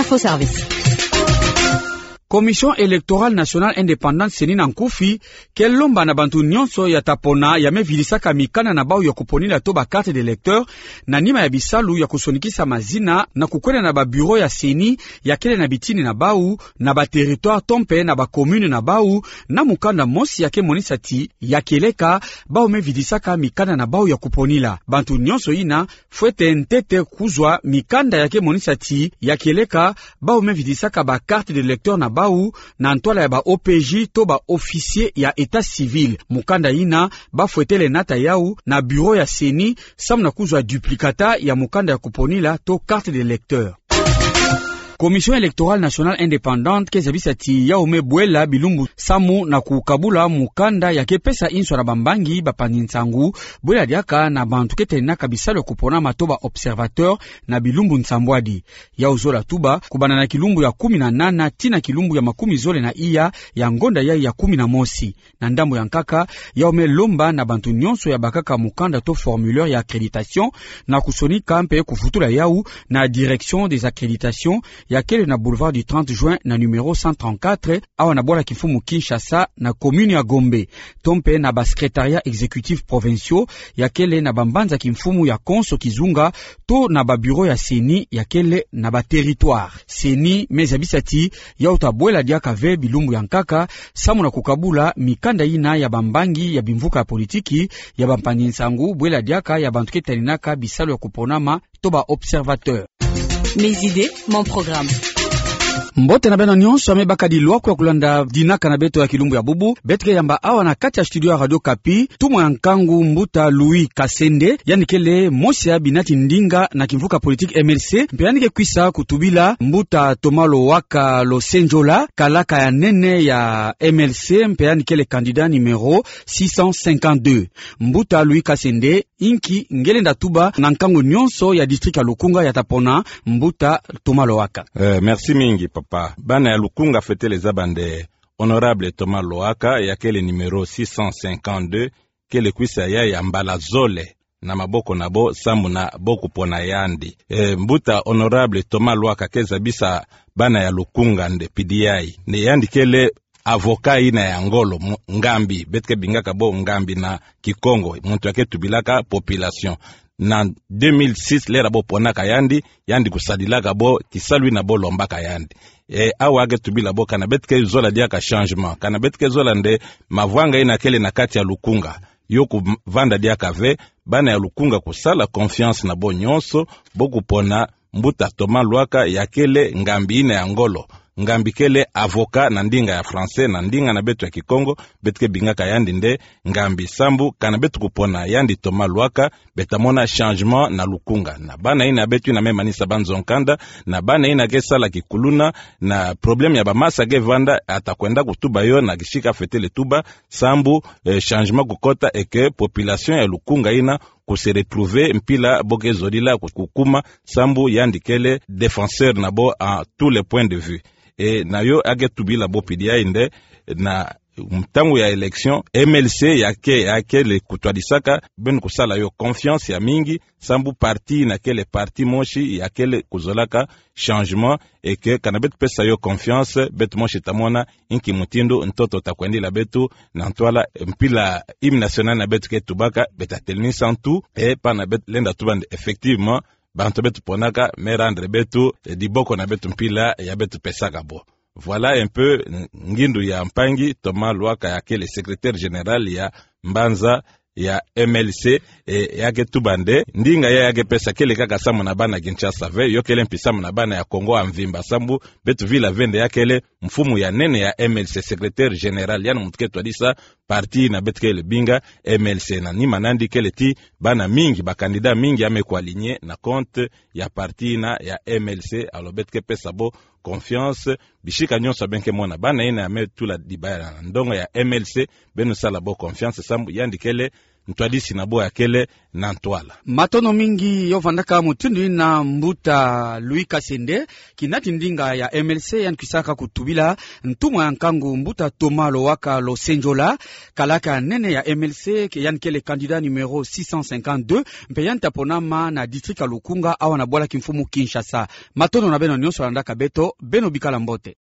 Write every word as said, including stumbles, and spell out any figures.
Faux service. Commission Électorale Nationale Indépendante, CENI na nkufi, ke lomba na bantu nyonso ya ta pona ya me vidisaka mikanda na bau ya kuponila to ba carte d'électeur, na nima ya bisalu ya kusonikisa mazina na kukwenda na ba bureau ya CENI ya kele na bitini na bau, na ba territoire to mpe na ba commune na bau, na mukanda mosi ya ke monisa ti ya kieleka bau me vidisaka mikanda na bau ya kuponila. Bantu nyonso yina fwete ntete kuzwa mikanda ya ke monisa ti ya kieleka bau me vidisaka ba carte d'électeur na bau na ntwala ya ba OPJ to ba officier ya état civil. Mukanda yina ba fwetele nata yau na bureau ya CENI samu na kuzwa duplicata ya mukanda ya kuponila to carte d'électeur. Commission Électorale Nationale Indépendante ke zabisa ti yau me bwela bilumbu samu na kukabula mukanda ya ke pesa inswa na bambangi, bapanzi nsangu, bwela diaka na bantu ke taninaka bisalu ya kuponama to ba observateur na bilumbu nsambwadi. Yau zola tuba kubanda na kilumbu ya kumi na nana tii na kilumbu ya makumi zole na iya ya ngonda yai ya kumi na mosi. Na ndambu ya nkaka, yau me lomba na bantu nyonso ya bakaka mukanda to formulaire ya accréditation na kusonika mpe kuvutula yau na direction des accréditations ya kele na boulevard du trente juin na numéro cent trente-quatre, awa na bwala kimfumu Kinshasa, na commune ya Gombe, to mpe na ba secrétariats exécutifs provinciaux ya kele na bambanza kimfumu ya konso kizunga, to na ba bureau ya CENI ya kele na ba territoire. CENI me zabisa ti yau ta bwela diaka ve bilumbu ya nkaka samu na kukabula mikanda yina ya bambangi, ya bimvuka ya politiki, ya bampanzi nsangu, bwela diaka ya bantu ke taninaka bisalu ya kuponama to ba observateur. Mes idées, mon programme. Mbote na beno nyonso ya me baka dilwako ya kulanda dinaka na beto ya kilumbu ya bubu. Beto ke yamba awa na kati ya studio ya Radio Okapi tumwa ya nkangu mbuta Louis Kasende, yandi kele mosi ya binati ndinga na kimvuka politique MLC, mpe yandi ke kwisa kutubila mbuta Thomas Lowaka Losenjola, kalaka ya nene ya MLC, mpe yandi kele candidat numéro six cent cinquante-deux. Mbuta Louis Kasende, inki nge lenda tuba na nkangu nyonso ya district ya Lukunga ya ta pona mbuta Thomas Lowaka? Eh, merci mingi, papa. Bana ya Lukunga fwetele zaba nde honorable Thomas Lowaka, ya kele numéro six cent cinquante-deux, kele kwisa yai ya mbala zole na maboko na bo, samu na bo kupona yandi. Eh, mbuta honorable Thomas Lowaka ke zabisa bana ya Lukunga nde pidi yai nde yandi kele avocat yina ya ngolo, mu-, ngambi, beto ke bingaka bo ngambi na Kikongo, muntu ya ke tubilaka population. Na deux mille six, l'heure bo ponaka yandi, yandi kusadilaka bo kisalu yina bo lombaka yandi. Eh, awa ke tubila bo, kana beto ke zola diaka changement, kana beto ke zola nde mavwanga yina kele na kati ya Lukunga yo kuvanda diaka ve, bana ya Lukunga kusala confiance na bo nyonso, bo kupona mbuta Thomas Lowaka, ya kele ngambi yina ya ngolo. Ngambi kele avocat na ndinga ya français, na ndinga na beto ya Kikongo beto ke bingaka yandi nde ngambi. Sambu kana beto kupona yandi Thomas Lowaka, beto ta mona changement na Lukunga. Na bana yina ya beto yina me manisa banzo nkanda, na bana yina ke sala kikuluna, na problème ya bamasa ke vanda, ata kwenda kutuba yo na kisika fwetele tuba, sambu, eh, changement kukota et que population ya Lukunga yina ku se retrouver mpila bo ke zolila ku-, kukuma, sambu yandi kele défenseur na bo à tous les points de vue. Eh, na yo ya ke tubila bo pidi yai nde na ntangu ya élection, MLC ya ke, ya kele kutwadisaka, beno kusala yo confiance ya mingi, sambu parti yina kele parti mosi ya kele kuzolaka changement, et que kana beto pesa yo confiance, beto mosi ta mona inki mutindu ntoto ta kwendila beto, na ntwala mpila hymne national na beto ke tubaka, beto ta telinisa ntu, eh, pana beto lenda tuba nde effectivement, bantu beto ponaka me rendre beto, eh, diboko na beto mpila ya beto pesaka bo. Voilà un peu ngindu ya mpangi Thomas Lowaka, ya kele secrétaire général ya mbanza ya MLC, eh, ya ke tuba nde ndinga ya, ya ke pesa kele kaka samu na bana Kinshasa ve, yo kele mpi samu na bana ya Kongo ya mvimba, sambu beto vila ve nde ya kele mfumu ya nene ya MLC, secrétaire général, yandi muntu ke twadisa parti yina beto kele binga MLC. Na nima na yandi kele ti bana mingi, ba candidat mingi ya me kualigner na compte ya parti yina ya MLC, alors beto ke pesa bo confiance. Bisika nyonso beno ke mona bana yina ya me tula dibaya na ndonga ya MLC, beno sala bo confiance, sambu yandi kele ntwadisi na bô ya kele na ntwala. Matondo mingi yo vandaka mutindu ina mbuta Louis Kasende, kina ti ndinga ya M L C, yandi kwisaka kutubila ntumwa ya nkangu mbuta Thomas Lowaka Losenjola, kalaka nene ya M L C, ke yandi kele candidat numéro six cent cinquante-deux, mpe yandi ta ponama na district ya Lukunga, awa na bwala kimfumu Kinshasa. Matondo na beno nyonso landaka beto, beno bikala mbote.